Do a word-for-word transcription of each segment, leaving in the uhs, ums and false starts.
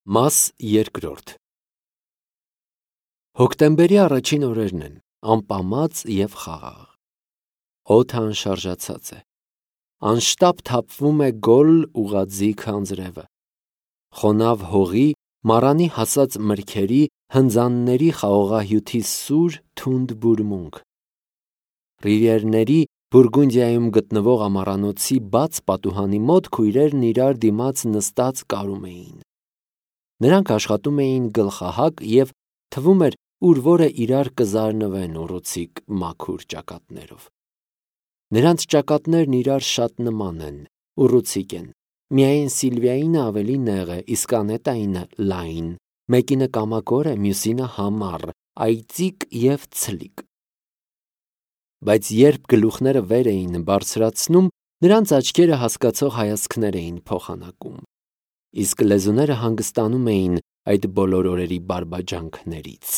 Մաս երկրորդ Հոկտեմբերի առաջին օրերն են, անպամած և խաղաղ։ Օդը անշարժացած է։ Անշտապ թափվում է գոլ ուղղաձիգ անձրևը։ Խոնավ հողի, մառանի հասած մրգերի, հնձանների խաղողահյութի սուր, թունդ բուրմունք։ Ռիվիերների Բուրգունդիայում գտնվող ամառանոցի բաց պատուհանի մոտ քույրերն իրար դիմաց նստած կարում էին։ Նրանք աշխատում էին գլխահակ և թվում էր ուր որը իրար կզարնվեն ուռուցիկ մաքուր ճակատներով։ Նրանց ճակատներն իրար շատ նման են, ուռուցիկ են, միայն Սիլվիայինը ավելի նեղ է, իսկ Անետայինը լայն, մեկինը կամակոր է, մյուսինը համառ, այծիկ և ցլիկ։ Բայց երբ գլուխները վեր էին բարձրացնում, նրանց աչքերը հասկացող հայացքներ էին փոխանակում, իսկ լեզուները հանգստանում էին այդ բոլոր օրերի բարբաջանքներից։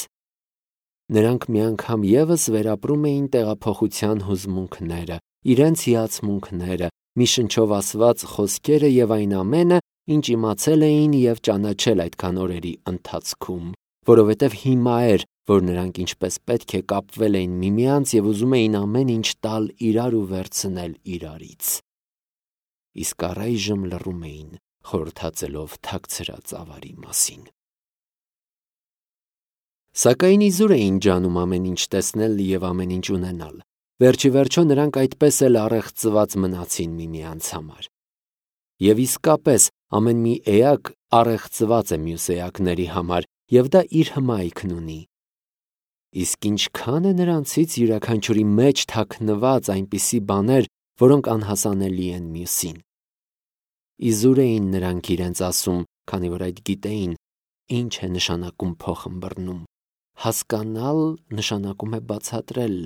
Նրանք մի անգամ ևս վերապրում էին տեղափոխության հուզմունքները, իրենց հիացմունքները, մի շնչով ասված խոսքերը և այն ամենը, ինչ իմացել էին և ճանաչել այդքան օրերի ընթացքում, որովհետև հիմա էր, որ նրանք ինչպես պետք է կապվել էին միմյանց և ուզում էին ամեն ինչ տալ իրար ու վերցնել իրարից։ Իսկ առայժմ լռում էին, խորհրդածելով թաքցրած ավարի մասին։ Սակայն իզուր էին ջանում ամեն ինչ տեսնել և ամեն ինչ ունենալ։ Վերջիվերջո նրանք այդպես էլ առեղծված մնացին միմյանց համար։ Եվ իսկապես ամեն մի էակ առեղծված է մյուս էակների համար, և դա իր հմայքն ունի։ Իսկ ինչքան է նրանցից յուրաքանչյուրի մեջ թաքնված այնպիսի բաներ, որոնք անհասանելի են մյուսին։ Իզուր էին նրանք իրենց ասում, քանի որ այդ գիտեին, ինչ է նշանակում փոխըմբռնում։ Հասկանալ նշանակում է բացատրել,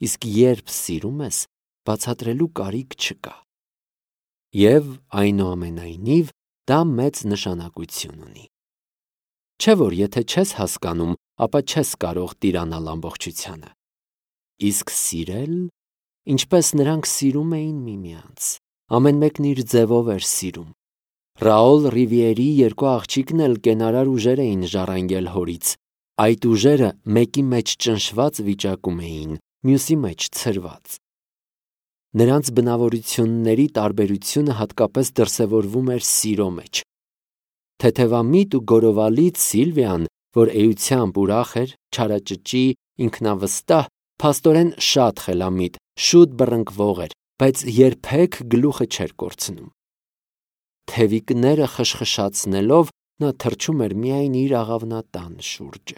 իսկ երբ սիրում ես, բացատրելու կարիք չկա։ Եվ այնուամենայնիվ դա մեծ նշանակություն ունի։ Չէ՞ որ եթե չես հասկանում, ապա չես կարող տիրանալ ամբողջությանը։ Իսկ սիրել, ինչպես նրանք սիրում էին միմյանց, ամեն մեկն իր ձևով էր սիրում։ Ռաոլ Ռիվիերի երկու աղջիկն էլ կենարար ուժեր էին ժառանգել հորից։ Այդ ուժերը մեկի մեջ ճնշված վիճակում էին, մյուսի մեջ ցրված։ Նրանց բնավորությունների տարբերությունը հատկապես դրսևորվում էր սիրո մեջ։ Թեթևամիտ ու գորովալից Սիլվիան, որ էությամբ ուրախ էր, չարաճճի, ինքնավստահ, փաստորեն շատ խելամիտ, շուտ բռնկվող էր, բայց երբեք գլուխը չէր կորցնում։ Թևիկները խշխշացնելով նա թռչում էր միայն իր աղավնատան շուրջը։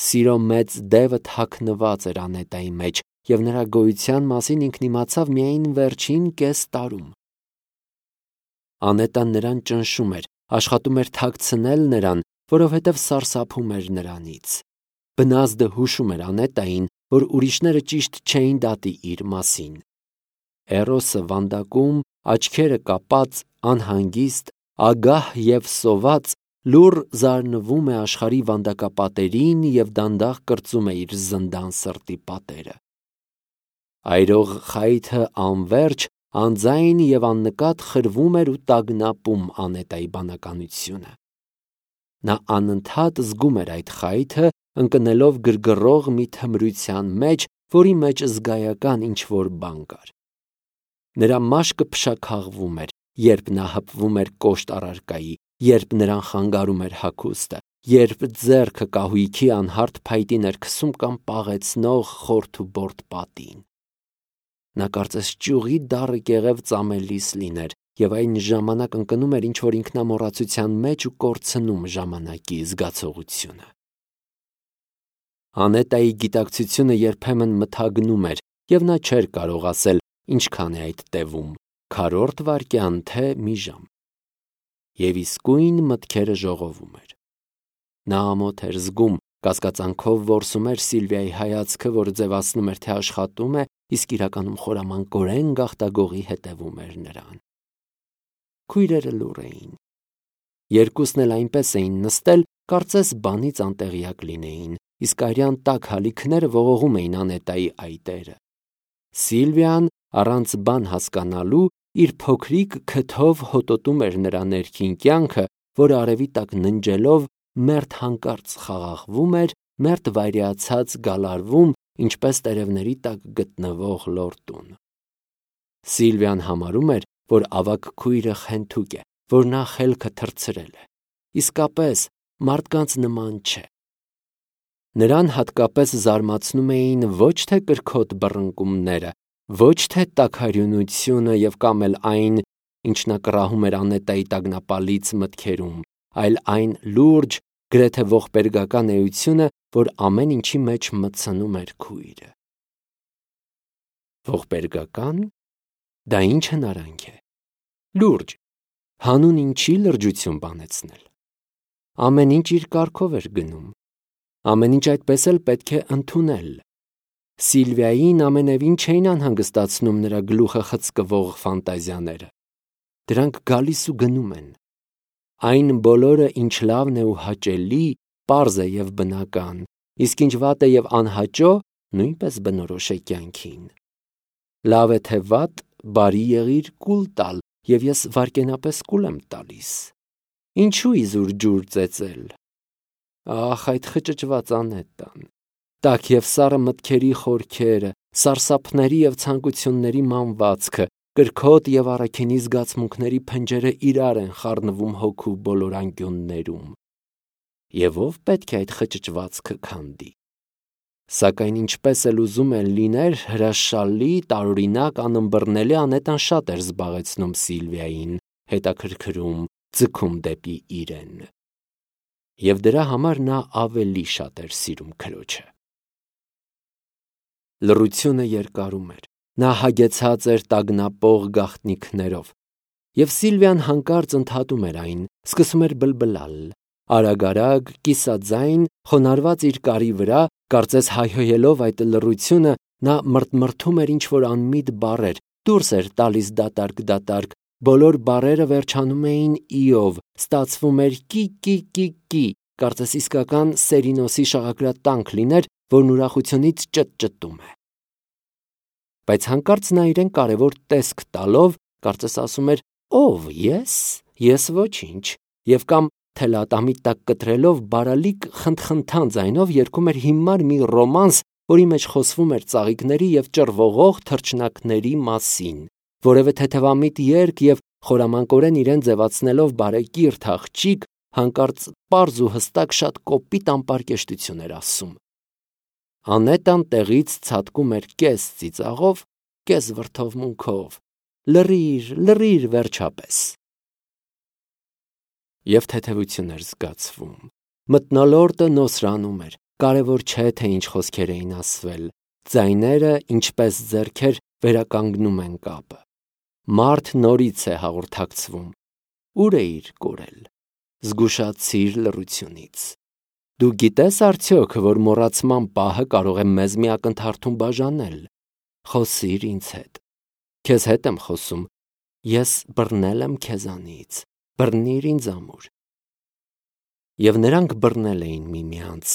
Սիրո մեծ դևը թաքնված էր Անետայի մեջ, և նրա գոյության մասին ինքն իմացավ միայն վերջին կես տարում։ Անետան նրան ճնշում էր, աշխատում էր թաքցնել նրան, որովհետև սարսափում էր նրանից։ Բնազդը հուշում էր Անետային, որ ուրիշները ճիշտ չէին դատի իր մասին։ Էրոսը վանդակում, աչքերը կապած, անհանգիստ, ագահ և սոված, լուռ զարնվում է աշխարհի վանդակապատերին և դանդաղ կրծում է իր զնդան սրտի պատերը։ Այրող խայթը անվերջ, անձայն և աննկատ խրվում էր ու տագնապում Անետայի բանականությունը։ Նա անընդհատ զգում էր այդ խայթը, ընկնելով գրգռող մի թմրության մեջ, որի մեջ զգայական ինչ-որ բան կար։ Նրա մաշկը փշաքաղվում էր, երբ նա հպվում էր կոշտ առարկայի, երբ նրան խանգարում էր հագուստը, երբ ձեռքը կահույքի անհարթ փայտին էր քսում կամ պաղեցնող խորթուբորտ պատին։ Նա կարծես ճյուղի դառը կեղև ծամելիս լիներ և այն ժամանակ ընկնում էր ինչ-որ ինքնամոռացության մեջ ու կորցնում ժամանակի զգացողությունը։ Անետայի գիտակցությունը երբեմն մթագնում էր, և նա չէր կարող ասել ինչքան է այդ տևում՝ քառորդ վայրկյան, թե մի ժամ։ Եվ իսկույն մտքերը ժողովում էր։ Նա ամոթ էր զգում, կասկածանքով որսում էր Սիլվիայի հայացքը, որ ձևացնում էր, թե աշխատում է, իսկ իրականում խորամանկորեն գաղտագողի հետևում էր նրան։ Քույրերը լուռ էին։ Երկուսն էլ այնպես էին նստել, կարծես բանից անտեղյակ լինեին, իսկ արյան տաք հալիքները ողողում էին Անետայի այտերը։ Սիլվիան, առանց բան հասկանալու, իր փոքրիկ քթով հոտոտում էր նրա ներքին կյանքը, որը արևի տակ ննջելով մերթ հանկարծ խաղաղվում էր, մերթ վայրիացած գալարվում, ինչպես տերևների տակ գտնվող լորտուն։ Սիլվիան համարում էր, որ ավագ քույրը խենթուկ է, որ նա խելքը թռցրել է։ Իսկապես, մարդկանց նման չէ։ Նրան հատկապես զարմացնում էին ոչ թե կրքոտ բռնկումները, ոչ թե տաքարյունությունը և կամ էլ այն, ինչ նա կռահում էր Անետայի տագնապալից մտքերում, այլ այն լուրջ, գրեթե ողբերգական էությունը, որ ամեն ինչի մեջ մտցնում էր քույրը։ Ողբերգական։ Դա ինչ հնարանք է։ Լուրջ։ Հանուն ինչի լրջություն բանեցնել։ Ամեն ինչ իր կարգով էր գնում։ Ամեն ինչ այդպես էլ պետք է ընդունել։ Սիլվիային ամենևին չէին անհանգստացնում նրա գլուխը խցկվող ֆանտազիաները։ Դրանք գալիս ու գնում են։ Այն բոլորը, ինչ լավն է ու հաճելի, պարզ է և բնական, իսկ ինչ վատ է և անհաճո, նույնպես բնորոշ է կյանքին։ Լավ է թե վատ, բարի եղիր կուլ տալ, և ես վայրկենապես կուլ եմ տալիս։ Ինչու իզուր ջուր ծեծել։ Ախ, այդ խճճված Անետան։ Տաք և սառը մտքերի խորքերը, սարսափների և ցանկությունների մանվածքը, կրքոտ և առաքինի զգացմունքների փնջերը իրար են խառնվում հոգու բոլոր անկյուններում։ Եվ ով պետք է այդ խճճվածքը քանդի։ Սակայն ինչպես էլ ուզում է լիներ, հրաշալի, տարօրինակ, անըմբռնելի Անետան շատ էր զբաղեցնում Սիլվիային, հետաքրքրում, ձգում դեպի իրեն։ Եվ դրա համար նա ավելի շատ էր սիրում քրոջը։ Լռությունը երկարում էր, նա հագեցած էր տագնապող գաղտնիքներով, և Սիլվիան հանկարծ ընդհատում էր այն, սկսում էր բլբլալ, արագ-արագ, կիսաձայն, խոնարհված իր կարի վրա, կարծես հայհոյելով այդ լռությունը, նա մրթմրթում էր ինչ-որ անմիտ բառեր, դուրս էր տալիս դատարկ-դատարկ, բոլոր բառերը վերջանում էին «ի»-ով, ստացվում էր «կի-կի-կի-կի», կարծես իսկական Սերինոսի շաղակրատանք լիներ, որն ուրախությունից ճտճտում է։ Բայց հանկարծ նա իրեն կարևոր տեսք տալով, կարծես ասում էր. «Ո՞վ, ես, ես ոչինչ», և կամ թելատամի տակ կտրելով բարալիկ խնդխնդան ձայնով երգում էր հիմար մի ռոմանս, որի մեջ խոսվում էր ծաղիկների և ճռվողող թռչնակների մասին, որևէ թեթևամիտ երգ և խորամանկորեն իրեն ձևացնելով բարեկիրթ աղջիկ, հանկարծ պարզ ու հստակ շատ կոպիտ անպարկեշտություն էր ասում։ Անետան տեղից ցատկում էր կես ծիծաղով, կես վրդովմունքով. «Լռիր, լռիր վերջապես»։ Եվ թեթևություն էր զգացվում։ Մթնոլորտը նոսրանում էր, կարևոր չէ, թե ինչ խոսքեր էին ասվել, ձայները, ինչպես ձեռքեր, վերականգնում են կապը։ Մարդ նորից է հաղորդակցվում։ Ուր էիր կորել։ Զգուշացիր լռությունից։ Դու գիտես արդյոք, որ մոռացման պահը կարող է մեզ մի ակնթարթում բաժանել։ Խոսիր ինձ հետ։ Քեզ հետ եմ խոսում։ Ես բռնել եմ քեզանից։ Բռնիր ինձ ամուր։ Եվ նրանք բռնել էին միմյանց,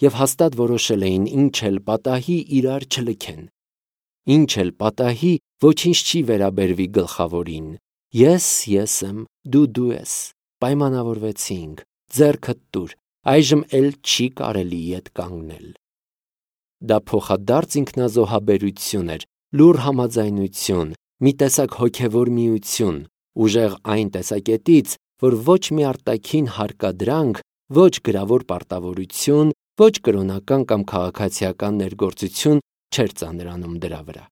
և հաստատ որոշել էին ինչ էլ պատահի իրար չլքեն։ Ինչ էլ պատահի ոչինչ չի վերաբերվի գլխավորին։ Ես ես եմ, դու դու ես։ Պայմանավորվեցինք, ձեռքդ տուր, այժմ էլ չի կարելի ետ կանգնել։ Դա փոխադարձ ինքնազոհաբերություն էր, լուռ համաձայնություն, մի տեսակ հոգևոր միություն, ուժեղ այն տեսակետից, որ ոչ մի արտաքին հարկադրանք, ոչ գրավոր պարտավորություն, ոչ կրոնական կամ քաղաքացիական ներգործություն չէր ծանրանում դրա վրա։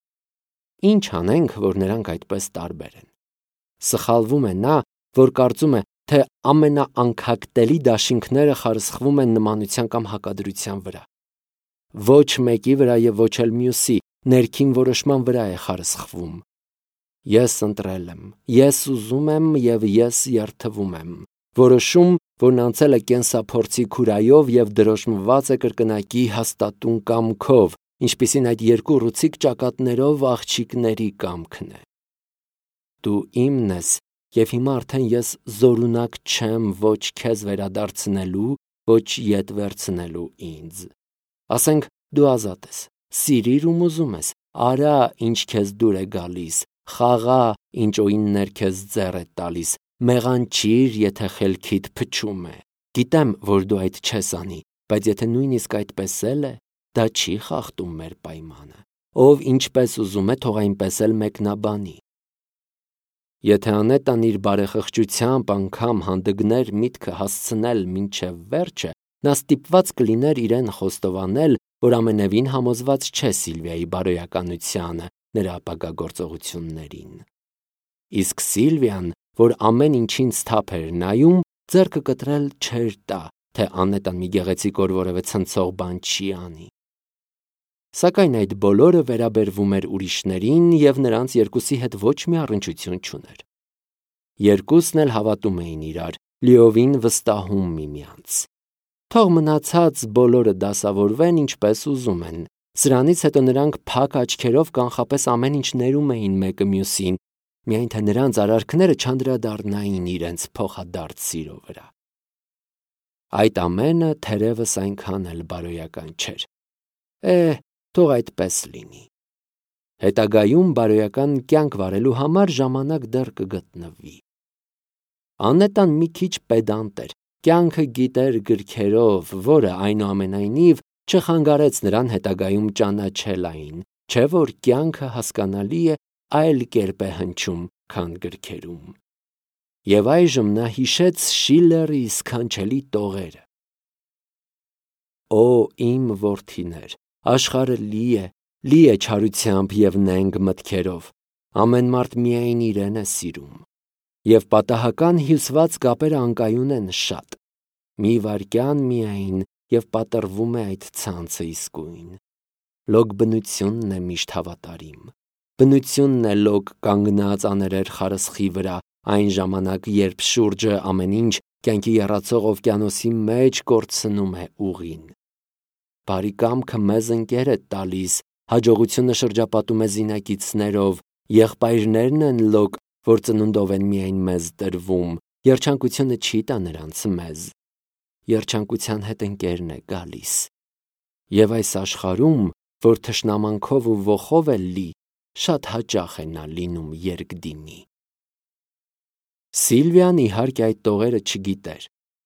Ինչ անենք, որ նրանք այդպես տարբեր են։ Սխալվում է նա, որ կարծում է, թե ամենաանքակտելի դաշինքները խարսխվում են նմանության կամ հակադրության վրա։ Ոչ մեկի վրա և ոչ էլ մյուսի, ներքին որոշման վրա է խարսխվում։ Ես ընտրել եմ, ես ուզում եմ և ես երդվում եմ։ Որոշում, որն անցել է կենսափորձի քուրայով և դրոշմված է կրկնակի հաստատուն կամքով, ինչպիսին այդ երկու ռուցիկ ճակատներով աղջիկների կամքն է։ Դու իմն ես, և հիմա արդեն ես զորունակ չեմ ոչ քեզ վերադարձնելու, ոչ ետ վերցնելու ինձ։ Ասենք դու ազատ ես, սիրիր ում ուզում ես, արա ինչ քեզ դուր է գալիս, խաղա ինչ օիններ քեզ ձեռ է տալիս, Մեղանչիր, եթե խելքիդ փչում է։ Գիտեմ, որ դու այդ չես անի, բայց եթե նույնիսկ այդպես էլ է, դա չի խախտում մեր պայմանը։ Ով ինչպես ուզում է, թող այնպես էլ մեկնաբանի։ Եթե Անետան իր բարեխղճությամբ անգամ հանդգներ միտքը հասցնել մինչև վերջը, նա ստիպված կլիներ իրեն խոստովանել, որ ամենևին համոզված չէ Սիլվիայի բարոյականությանը, նրա ապագա գործողություններին։ Իսկ Սիլվիան, որ ամեն ինչին սթափ էր նայում, ձեռքը կտրել չէր տա, թե Անետան մի գեղեցիկ օր որևէ ցնցող բան չի անի։ Սակայն այդ բոլորը վերաբերվում էր ուրիշներին և նրանց երկուսի հետ ոչ մի առնչություն չուներ։ Երկուսն էլ հավատում էին իրար, լիովին վստահում միմյանց։ Թող մնացած բոլորը դասավորվեն ինչպես ուզում են։ Սրանից հետո նրանք փակ աչքերով կանխապես ամեն ինչ ներում էին մեկը մյուսին, միայն թե նրանց արարքները չանդրադառնային իրենց փոխադարձ սիրո վրա։ Այդ ամենը թերևս այնքան էլ բարոյական չէր։ Է, թող այդպես լինի։ Հետագայում բարոյական կյանք վարելու համար ժամանակ դեռ կգտնվի։ Անետան մի քիչ պեդանտ էր, կյանքը գիտեր գրքերով, որը այնուամենայնիվ չխանգարեց նրան հետագայում ճանաչել այն, չէ որ կյանքը հասկանալի է այլ կերպ է հնչում, քան գրքերում։ Եվ այժմ նա հիշեց Շիլլերի սքանչելի տողերը. Օ, իմ որդիներ, աշխարհը լի է, լի է չարությամբ և նենգ մտքերով, ամեն մարդ միայն իրեն է սիրում, և պատահական հյուսված կապերը անկայուն են շատ, մի վայրկյան միայն և պատռվում է այդ ցանցը իսկույն։ Լոկ բնությունն է միշտ հավատարիմ, բնությունն է լոկ կանգնած աներեր խարսխի վրա, այն ժամանակ, երբ շուրջը ամեն ինչ կյանքի եռացող օվկիանոսի մեջ կորցնում է ուղին։ Բարի կամքը մեզ ընկեր է տալիս, հաջողությունը շրջապատում է զինակիցներով, եղբայրներն են լոկ, որ ծնունդով են միայն մեզ տրվում, երջանկությունը չի տա նրանց մեզ, երջանկության հետ ընկերն է գալիս։ Եվ այս աշխարհում, որ թշնամանքով ու ոխով է լի, շատ հաճախ է նա լինում երկդիմի։ Սիլվիան իհարկե այդ տողերը չգիտեր։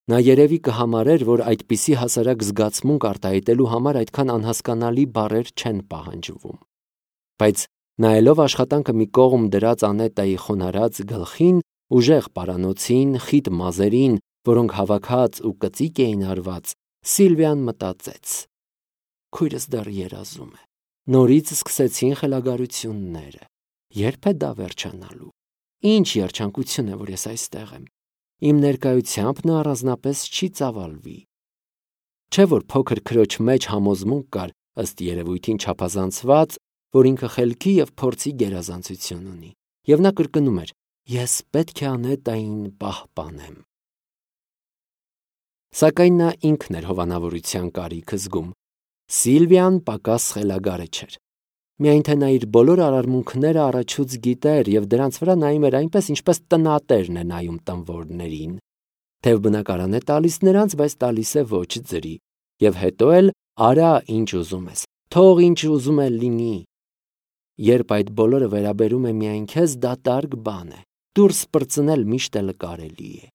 Նա երևի կհամարեր, որ այդպիսի հասարակ զգացմունք արտահայտելու համար այդքան անհասկանալի բառեր չեն պահանջվում։ Բայց նայելով աշխատանքը մի կողմ դրած Անետայի խոնարհած գլխին, ուժեղ պարանոցին, խիտ մազերին, որոնք հավաքած ու կծիկ էին արված, Սիլվիան մտածեց. քույրս դեռ երազում է։ Նորից սկսեցին խելագարությունները։ Երբ է դա վերջանալու։ Ինչ երջանկություն է, որ ես այստեղ եմ։ Իմ ներկայությամբ նա առանձնապես չի ծավալվի։ Չէ որ փոքր քրոջ մեջ համոզմունք կար, ըստ երևույթին չափազանցված, որ ինքը խելքի և փորձի գերազանցություն ունի, և նա կրկնում էր. ես պետք է Անետային պահպանեմ։ Սակայն նա ինքն էր հովանավորության կարիքը զգում։ Սիլվիան պակաս խելագարը չէր։ Միայն թե նա իր բոլոր արարմունքները առաջուց գիտեր և դրանց վրա նայում էր այնպես, ինչպես տնատերն է նայում տնվորներին։ Թև բնակարան է տալիս նրանց, բայց տալիս է ոչ ձրի, և հետո էլ արա ինչ ուզում ես, թող ինչ ուզում է լինի։ Երբ այդ բոլորը վերաբերում է միայն քեզ, դատարկ բան է, դուրս պրծնել միշտ էլ կարելի է։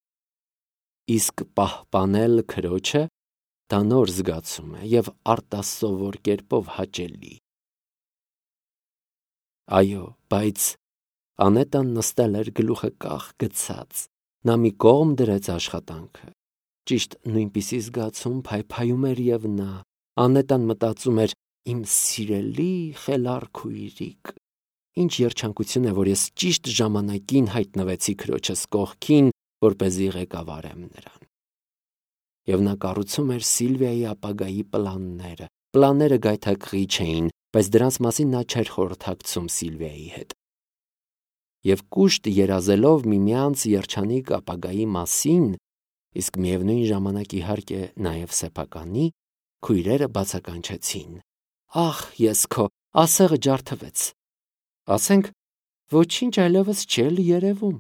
Իսկ պահպանել քրոջը, դա նոր զգացում է և արտասովոր կերպով հաճելի։ Այո, բայց Անետան նստել էր գլուխը կախ գցած, նա մի կողմ դրեց աշխատանքը։ Ճիշտ նույնպիսի զգացում փայփայում էր և նա։ Անետան մտածում էր. իմ սիրելի խելառ քույրիկ, ինչ երջանկություն է, որ ես ճիշտ ժամանակին հայտնվեցի քրոջս կողքին, որպեսզի ղեկավարեմ նրան։ Եվ նա կառուցում էր Սիլվիայի ապագայի պլանները։ Պլանները գայթակղիչ էին, բայց դրանց մասին նա չէր խորհրդակցում Սիլվիայի հետ։ Եվ կուշտ երազելով միմյանց երջանիկ ապագայի մասին, իսկ միևնույն ժամանակ իհարկե նաև սեփականի, քույրերը բացականչեցին. Ախ, ես քո ասեղը ջարդվեց։ Ասենք, ոչինչ այլևս չէր երևում։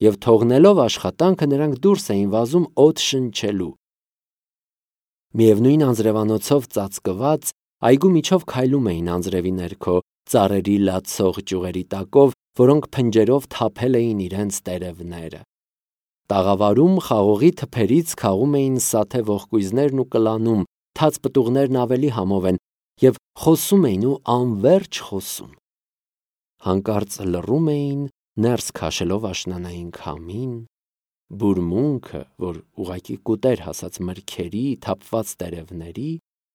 Եվ թողնելով աշխատանքը նրանք դուրս էին վազում օդ շնչելու։ Միևնույն անձրևանոցով ծածկված, այգու միջով քայլում էին անձրևի ներքո, ծառերի լացող ճյուղերի տակով որոնք փնջերով թափել էին իրենց տերևները։ Տաղավարում խաղողի թփերից քաղում էին սաթե ողկույզներն ու կլանում, թաց պտուղներն ավելի համով են, և խոսում էին ու անվերջ խոսում։ Հանկարծ լռում էին, ներս քաշելով աշնանային քամին, բուրմունքը, որ ուղղակի կուտեր հասած մրգերի, թափված տերևների,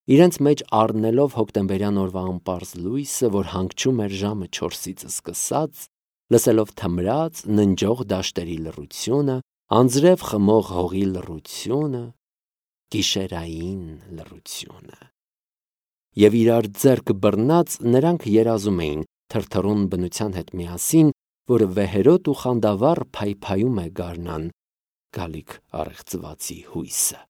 իրենց մեջ առնելով հոկտեմբերյան օրվա անպարզ լույսը, որ հանգչում էր ժամը չորսից սկսած, լսելով թմրած, ննջող դաշտերի լռությունը, անձրև խմող հողի լռությունը, գիշերային լռությունը։ Եվ իրար ձեռք բռնած նրանք երազում էին, թրթռուն բնության հետ միասին, որ վեհերոտ ու խանդավառ փայփայում է գարնան գալիք առեղծվածի հույսը։